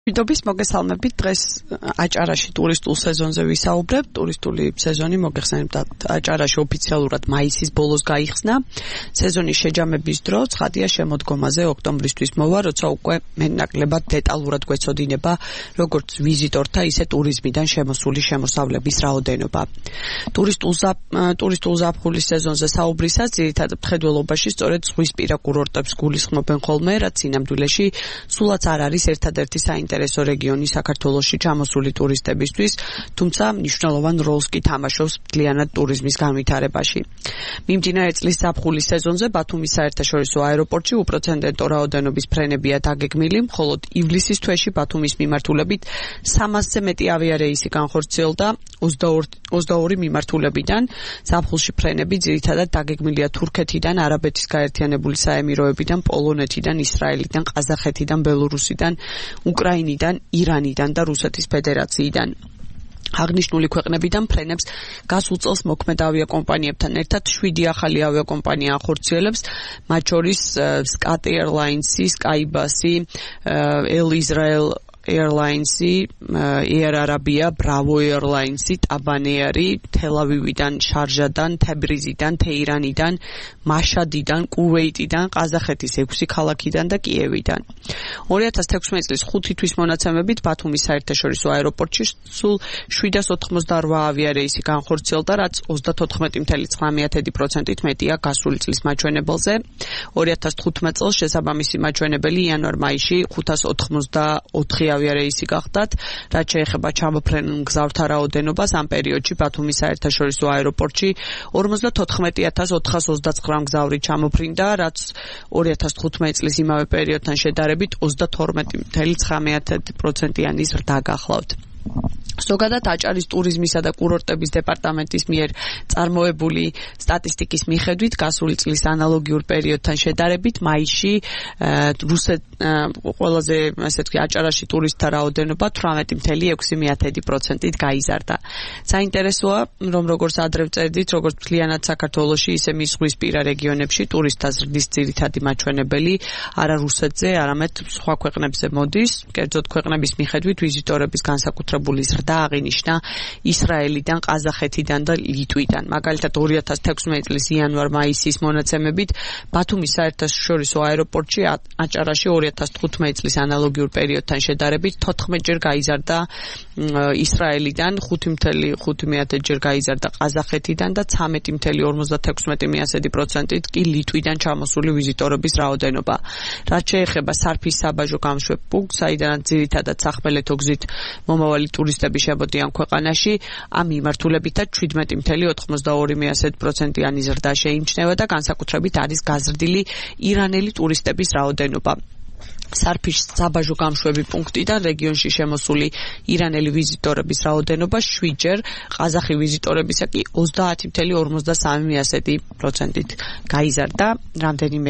მშვიდობის მოგესალმებით. დღეს აჭარაში ტურისტულ სეზონზე ვისაუბრებთ. ტურისტული სეზონი მოგეხსენებათ აჭარაში ოფიციალურად მაისის ბოლოს გაიხსნა. სეზონის შეჯამების დრო ცხადია შემოდგომაზე ოქტომბრისთვის მოვა, როცა უკვე მეტნაკლებად დეტალურად გვეცოდინება როგორც ვიზიტორთა, ისე ტურიზმიდან შემოსული შემოსავლების რაოდენობა. ტურისტულ ზაფხულის სეზონზე საუბრისას ძირითადად მხედველობაში სწორედ ზღვისპირა კურორტებს გულისხმობენ ხოლმე, რაც სინამდვილეში სულაც არ არის ერთადერთი საინტერესო რეგიონი საქართველოში ჩამოსული ტურისტებისთვის, თუმცა მნიშვნელოვან როლს კი თამაშობს მთლიანად ტურიზმის განვითარებაში. მიმდინარე წლის ზაფხულის სეზონზე ბათუმის საერთაშორისო აეროპორტში უპროცენტო რაოდენობის ფრენებია დაგეგმილი, მხოლოდ ივლისის თვეში ბათუმის მიმართულებით 300-ზე მეტი ავიარეისი განხორციელდა 22 მიმართულებიდან. ზაფხულში ფრენები ძირითადად დაგეგმილია თურქეთიდან, არაბეთის გაერთიანებული საემიროებიდან, პოლონეთიდან, ისრაელიდან, ყაზახეთიდან, ბელორუსიდან, უკრაინიდან, ირანიდან და რუსეთის ფედერაციიდან. აღნიშნული ქვეყნებიდან ფრენებს გასულ წელს მოქმედ ავიაკომპანიებთან ერთად 7 ახალი ავიაკომპანია ახორციელებს, მათ შორის Scat Airlines-ი, Skybus-ი, El Israel Airlines-ი, Air Arabia, Bravo Airlines-ი, Taban Air-ი, თელ-ავივიდან, შარჟადან, თებრიზიდან, თეირანიდან, მაშადიდან, კუვეიტიდან, ყაზახეთის 6 ქალაქიდან და კიევიდან. 2016 წლის 5 თვის მონაცემებით ბათუმის საერთაშორისო აეროპორტში სულ 788 ავიარეისი განხორციელდა, რაც 34.9%-ით მეტია გასული წლის მაჩვენებელზე. 2015 წელს შესაბამისი მაჩვენებელი იანვარ-მაისში 584 ავიარეისი გახდათ, რაც შეეხება ჩამოფრენილ მგზავრთა რაოდენობას. ამ პერიოდში ბათუმის საერთაშორისო აეროპორტში 54,429 მგზავრი ჩამოფრინდა, რაც 2015 წლის იმავე პერიოდთან შედარებით 32.9%-იანი ზრდა გახლავთ. ზოგადად აჭარის ტურიზმისა და კურორტების დეპარტამენტის მიერ წარმოებული სტატისტიკის მიხედვით გასული წლის ანალოგიურ პერიოდთან შედარებით მაისში ყველაზე აჭარაში ტურისტთა რაოდენობა 18.6%-ით გაიზარდა. საინტერესოა, რომ როგორც ადრე ვწერდით, როგორც მთლიანად საქართველოში, ისე მის ზღვისპირა რეგიონებში ტურისტთა ზრდის ძირითადი მაჩვენებელი არა რუსეთზე, არამედ სხვა ქვეყნებზე მოდის. კერძოდ ქვეყნების მიხედვით ვიზიტორების განსაკუთრებული ზრდა აღინიშნა ისრაელიდან, ყაზახეთიდან და ლიტვიდან. მაგალითად 2016 წლის იანვარ-მაისის მონაცემებით ბათუმის საერთაშორისო აეროპორტში აჭარაში 2015 წლის ანალოგიურ პერიოდთან შედარებით 14-ჯერ გაიზარდა ისრაელიდან, 5.5-ჯერ გაიზარდა ყაზახეთიდან და 13.56%-ით კი ლიტვიდან ჩამოსული ვიზიტორების რაოდენობა. რაც შეეხება სარფის საბაჟო გამშვებ პუნქტს, საიდანაც ძირითადად სახმელეთო გზით მომავალი ტურისტები შემოდიან ქვეყანაში, ამ მიმართულებითაც 17.92%-იანი ზრდა შეიმჩნევა და განსაკუთრებით არის გაზრდილი ირანელი ტურისტების რაოდენობა. სარფის საბაჟო გამშვები პუნქტიდან რეგიონში შემოსული ირანელი ვიზიტორების რაოდენობა 7-ჯერ, ყაზახი ვიზიტორებისა კი 30.53%-ით გაიზარდა. რამდენიმე